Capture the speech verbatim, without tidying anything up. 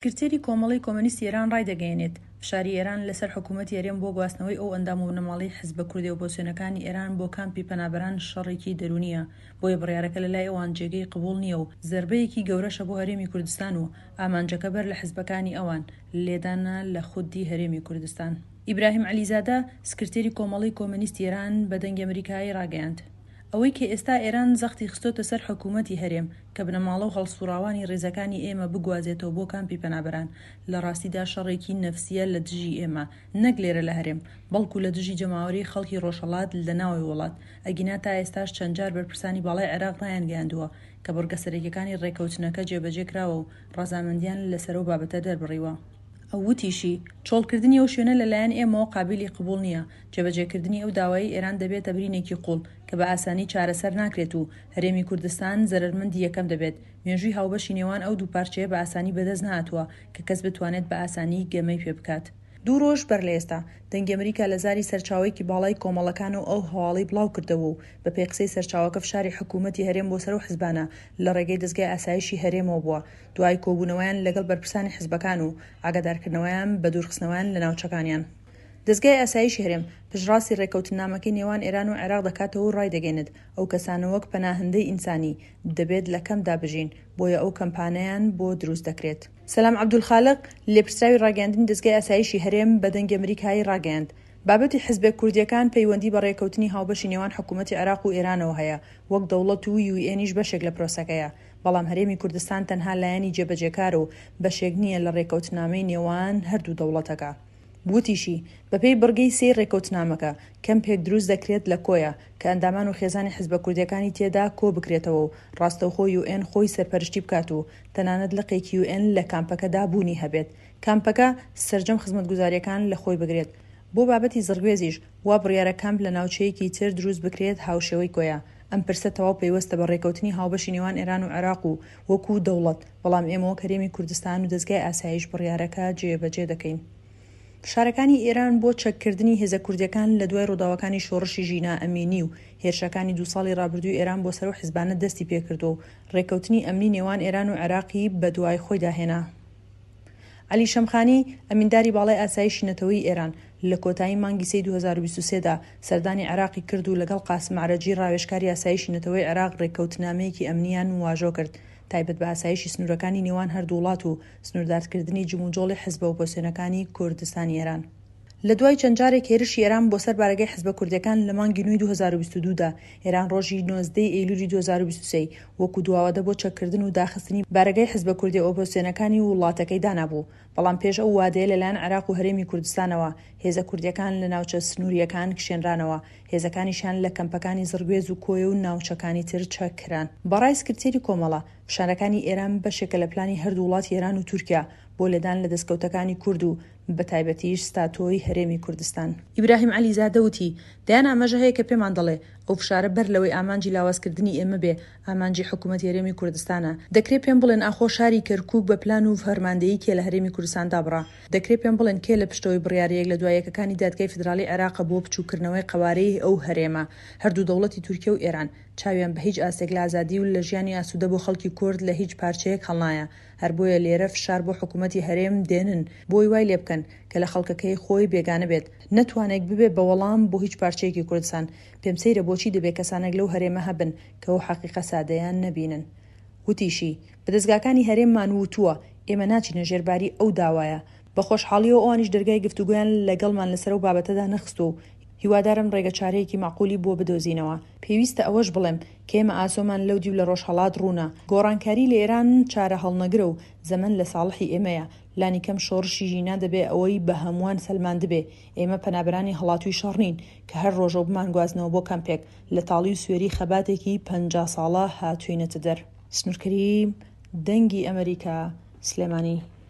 سکرتێری کۆمەڵەی کۆمۆنیستی ئێران ڕایدەگەیەنێت، فشاری ئێران لەسەر حکومەتی هەرێم بۆ گواستنەوەی ئەو ئەندام و بنەماڵەی حزبە کوردیە ئۆپۆزسیۆنەکانی ئێران بۆ کامپی پەنابەران شەڕێکی دەرونیە، بۆیە بڕیارەکە لەلای ئەوان جێگەی قبوڵ نییە و زەربەیەکی گەورەشە بۆ هەرێمی کوردستان و ئامانجەکە بەر لە حزبەکانی ئەوان، لێدانە لە خودی هەرێمی کوردستان. ئیبراهیم عەلیزادە، سکرتێری کۆمەڵەی کۆمۆنیستی ئێران بە دەنگی ئەمریکای ڕاگەیاند، ئەوەی کە ئێستا ئێران زەختی خستۆتە سەر حکومەتی هەرێم کە بنەماڵە و هەڵسوڕاوانی ڕیزەکانی ئێمە بگوازێتەوە بۆ کامپی پەنابەران، لە ڕاستیدا شەڕێکی نەفسیە لە دژی ئێمە، نەک لێرە لە هەرێم، بەڵکو لە دژی جەماوەری خەڵکی ڕۆژهەڵات لە ناوەوەی وڵات. ئەگینا تا ئێستاش چەند جار بەرپرسانی باڵای عێراق ڕایانگەیاندووە کە بڕگە سەرەکیەکانی ڕێکەوتنەکە جێبەجێ کراوە و ڕەزامەندیان لەسەر ئەو بابەتە دەربڕیوە. ئەو وتیشی، چۆڵکردنی ئەو شوێنە لەلایەن ئێمەوە قابیلی قبوڵ نییە، جێبەجێکردنی ئەو داوایەی ئێران دەبێتە برینێکی قوڵ کە بە ئاسانی چارەسەر ناکرێت و هەرێمی کوردستان زەرەرمەندی یەکەم دەبێت، مێژووی هاوبەشی نێوان ئەو دوو پارچەیە بە ئاسانی بەدەست نەهاتووە کە کەس بتوانێت بە ئاسانی گەمەی پێ بکات. دوو ڕۆژ بەر لە ئێستا، دەنگی ئەمریکا لە زاری سەرچاوەیەکی باڵای کۆمەڵەکانەوە ئەو هەواڵەی بڵاوکردەوە و بەپێی قسەی سەرچاوەکە فشاری حکومەتی هەرێم بۆ سەر ئەو حزبانە لە ڕێگەی دەزگای ئاسایشی هەرێمەوە بووە دوای کۆبوونەوەیان لەگەڵ بەرپرسانی حزبەکان و ئاگادارکردنەوەیان بە دوورخستنەوەیان لە ناوچەکانیان. دەزگای ئاسایشی هەرێم پشتڕاستی ڕێککەوتننامەکەی نێوان ئێران و عێراق دەکاتەوە و ڕایدەگەینێت، ئەو کەسانە وەک پەناهەندەی ئینسانی دەبێت لە کەمپدا بژین، بۆیە ئەو کەمپانەیان بۆ دروست دەکرێت. سەلام عەبدولخالق، لێپرسراوی ڕاگەیاندنی دەزگای ئاسایشی هەرێم بە دەنگی ئەمریکای ڕاگەیاند، بابەتی حزبە کوردییەکان پەیوەندی بە ڕێککەوتنی هاوبەشی نێوان حکومەتی عێراق و ئێرانەوە هەیە وەک دەوڵەت و یو ئێنیش بەشێک لە پرۆسەکەیە، بەڵام هەرێمی کوردستان تەنها لایەنی جێبەجێکارە و بەشێک نییە لە ڕێککەوتنامەی نێوان هەردوو دەوڵەتەکە. وتیشی، بەپێی بڕگەی سێی ڕێککەوتنامەکە، کەمپێک دروست دەکرێت لە کۆیە، کە ئەندامان و خێزانی حزبە کوردییەکانی تێدا کۆبکرێتەوە و ڕاستەوخۆ یو ئێن خۆی سەرپەرشتی بکات و تەنانەت لقێکی یو ئێن لە کامپەکەدا بوونی هەبێت، کامپەکە سەرجەم خزمەتگوزارییەکان لەخۆی بگرێت. بۆ بابەتی زڕگوێزیش وا بڕیارە کامپ لە ناوچەیەکی تر دروست بکرێت هاوشێوەی کۆیە. ئەم پرسە تەواو پەیوەستە بە ڕێکەوتنی هاوبەشی نێوان ئێران و عێراق و وەکو دەوڵەت، بەڵام ئێمە وەک هەرێمی کوردستان و دەزگای ئاسایش بڕیارەکە جێبەجێ دەکەین. فشارەکانی ئێران بۆ چەککردنی هێزە کوردییەکان لە دوای ڕووداوەکانی شۆڕشی ژینا ئەمینی و هێرشەکانی دوو ساڵی ڕابردووی ئێران بۆ سەر ئەو حزبانە دەستی پێکردووە و ڕێککەوتنی ئەمنی نێوان ئێران و عێراقی بەدوای خۆیدا هێنا. عەلی شەمخانی، ئەمینداری باڵای ئاسایشی نەتەوەیی ئێران، لە کۆتایی مانگی سێی دوو هەزار و بیست و سێ دا سەردانی عێراقی کرد و لەگەڵ قاسم ئەعرەجی ڕاوێژکاری ئاسایشی نەتەوەیی عێراق ڕێککەوتنامەیەکی ئەمنییان واژۆ کرد تایبەت بە ئاسایشی سنوورەکانی نێوان هەردوو وڵات و سنووردارکردنی جموجۆڵی حزبە ئۆپۆزسیۆنەکانی کوردستانی ئێران. لە دوای چەند جارێک هێرشی ئێران بۆ سەر بارەگای حزبە کوردیەکان لە مانگی نۆی دوو هەزار و بیست و دوو دا، ئێران ڕۆژی نۆزدە ی ئەیلولی دوو هەزار و بیست و سێ وەکو دواوادە بۆ چەککردن و داخستنی بارەگای حزبە کوردیە ئۆپۆزسیۆنەکانی وڵاتەکەی دانابوو، بەڵام پێش ئەو وادەیە لەلایەن عێراق و هەرێمی کوردستانەوە هێزە کوردیەکان لە ناوچە سنووریەکان کشێنرانەوە، هێزەکانیشیان لە کەمپەکانی زڕگوێز و کۆیە و ناوچەکانی تر چەک کران. بەڕای سکرتێری کۆمەڵە، فشارەکانی ئێران بەشێکە لە پلانی هەردوو وڵاتی ئێران و تورکیا بۆ لێدان لە دەستکەوتەکانی کورد و بەتایبەتیش ستاتۆی هەرێمی کوردستان. ئیبراهیم عەلیزادە وتی، دەیان ئاماژە هەیە کە پێمان دەڵێ ئەو فشارە بەر لەوەی ئامانجی لاوازکردنی ئێمە بێ، ئامانجی حکوومەتی هەرێمی کوردستانە. دەکرێ پێم بڵێن ئاخۆ شاری کەرکووک بە پلان و فەرماندەیی کێ لە هەرێمی کوردستان دابڕا؟ دەکرێ پێم بڵێن کێ لە پشتەوەی بڕیارە یەک لە دوا یەکەکانی دادگای فیدراڵی عێراقە بۆ بچووککردنەوەی قەوارەی ئەو هەرێمە؟ هەردوو دەوڵەتی تورکیە و ئێران چاویان بە هیچ ئاستێک لە ئازادی و لە ژیانی ئاسوودە بۆ خەڵکی کورد لە هیچ پارچەیەک هەڵنایە. هەر بۆیە لێرە فشار بۆ حکوومەتی هەرێم دێنن بۆی وای لێ بکەن کە لە خەڵکەکەی خۆی بێگانە بێت، نەتوانێک ببێ بە وەڵام بۆ هیچ پارچەیەکی کوردستان. پێم سەیرە بۆچی دەبێ کەسانێک لەو هەرێمە هەبن کە ئەو حەقیقە سادەیە نەبینن. وتیشی، بە دەزگاکانی هەرێممان وتووە ئێمە ناچینە ژێر باری ئەو داوایە. بە خۆشحاڵییەوە ئەوانیش دەرگای گفتوگۆیان لەگەڵمان لەسەر ئەو بابەتەدا نەخستووە و هیوادارم ڕێگەچارەیەکی مەعقولی بۆ بدۆزینەوە. پێویستە ئەوەش بڵێم کە ئێمە ئاسۆمان لەو دیو لە ڕۆژهەڵات ڕوونە. گۆڕانکاری لە ئێران چارەهەڵنەگرە و زەمەن لە ساڵحی ئێمەیە. لانیکەم شۆڕشی ژینا دەبێ ئەوەی بە هەمووان سەلماندبێ ئێمە پەنابەرانی هەڵاتووی شەڕ نین کە هەر ڕۆژەو بمانگوازنەوە بۆ کەمپێک، لە تاڵی و سوێری خەباتێکی پەنجا ساڵە هاتووینەتە دەر. سنوور کەریم، دەنگی ئەمەریکا، سلێمانی.